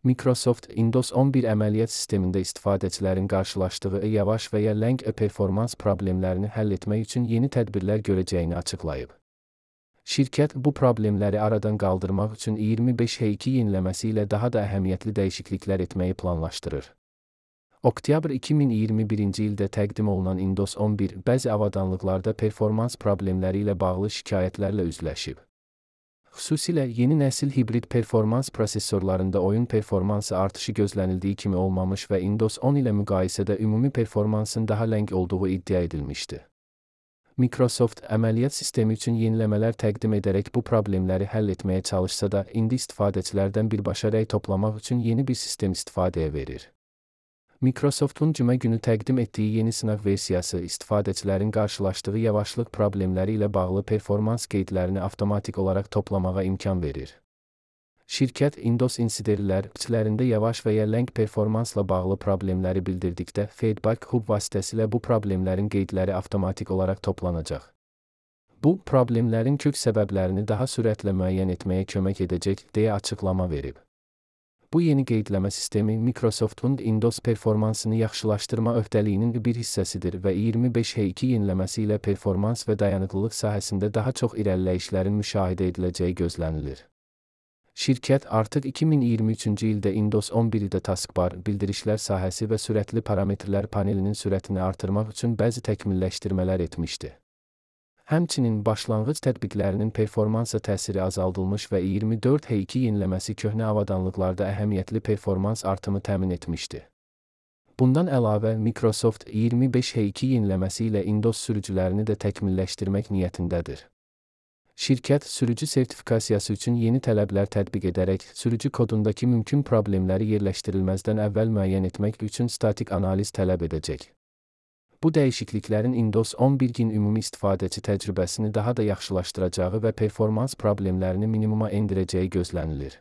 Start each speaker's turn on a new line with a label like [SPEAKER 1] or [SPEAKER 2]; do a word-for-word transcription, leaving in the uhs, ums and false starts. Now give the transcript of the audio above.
[SPEAKER 1] Microsoft Windows on bir əməliyyat sistemində istifadəçilərin qarşılaşdığı yavaş və ya ləng performans problemlərini həll etmək üçün yeni tədbirlər görəcəyini açıqlayıb. Şirkət bu problemləri aradan qaldırmaq üçün iyirmi beş H iki yeniləməsi ilə daha da əhəmiyyətli dəyişikliklər etməyi planlaşdırır. Oktyabr iki min iyirmi birinci ildə təqdim olunan Windows on bir bəzi avadanlıqlarda performans problemləri ilə bağlı şikayətlərlə üzləşib. Xüsusilə yeni nəsil hibrid performans prosesorlarında oyun performansı artışı gözlənildiyi kimi olmamış və Windows on ilə müqayisədə ümumi performansın daha ləng olduğu iddia edilmişdi. Microsoft əməliyyat sistemi üçün yeniləmələr təqdim edərək bu problemləri həll etməyə çalışsa da, indi istifadəçilərdən birbaşa rəy toplamaq üçün yeni bir sistem istifadəyə verir. Microsoft'un cümə günü təqdim etdiyi yeni sınaq versiyası istifadəçilərin qarşılaşdığı yavaşlıq problemləri ilə bağlı performans qeydlərini avtomatik olaraq toplamağa imkan verir. Şirkət Windows insiderlər içlərində yavaş və ya ləng performansla bağlı problemləri bildirdikdə Feedback Hub vasitəsilə bu problemlərin qeydləri avtomatik olaraq toplanacaq. Bu, problemlərin kök səbəblərini daha sürətlə müəyyən etməyə kömək edəcək deyə açıqlama verib. Bu yeni qeydləmə sistemi Microsoft'un Windows performansını yaxşılaşdırma öhdəliyinin bir hissəsidir və iyirmi beş H iki yeniləməsi ilə performans və dayanıqlılıq sahəsində daha çox irəliləyişlərin müşahidə ediləcəyi gözlənilir. Şirkət artıq iki min iyirmi üçüncü ildə Windows on birdə taskbar, bildirişlər sahəsi və sürətli parametrlər panelinin sürətini artırmaq üçün bəzi təkmilləşdirmələr etmişdi. Həmçinin başlanğıc tətbiqlərinin performansa təsiri azaldılmış və iyirmi dörd H iki yeniləməsi köhnə avadanlıqlarda əhəmiyyətli performans artımı təmin etmişdi. Bundan əlavə, Microsoft iyirmi beş H iki yeniləməsi ilə Windows sürücülərini də təkmilləşdirmək niyyətindədir. Şirkət, sürücü sertifikasiyası üçün yeni tələblər tətbiq edərək, sürücü kodundakı mümkün problemləri yerləşdirilməzdən əvvəl müəyyən etmək üçün statik analiz tələb edəcək. Bu dəyişikliklərin Windows on birin ümumi istifadəçi təcrübəsini daha da yaxşılaşdıracağı və performans problemlərini minimuma endirəcəyi gözlənilir.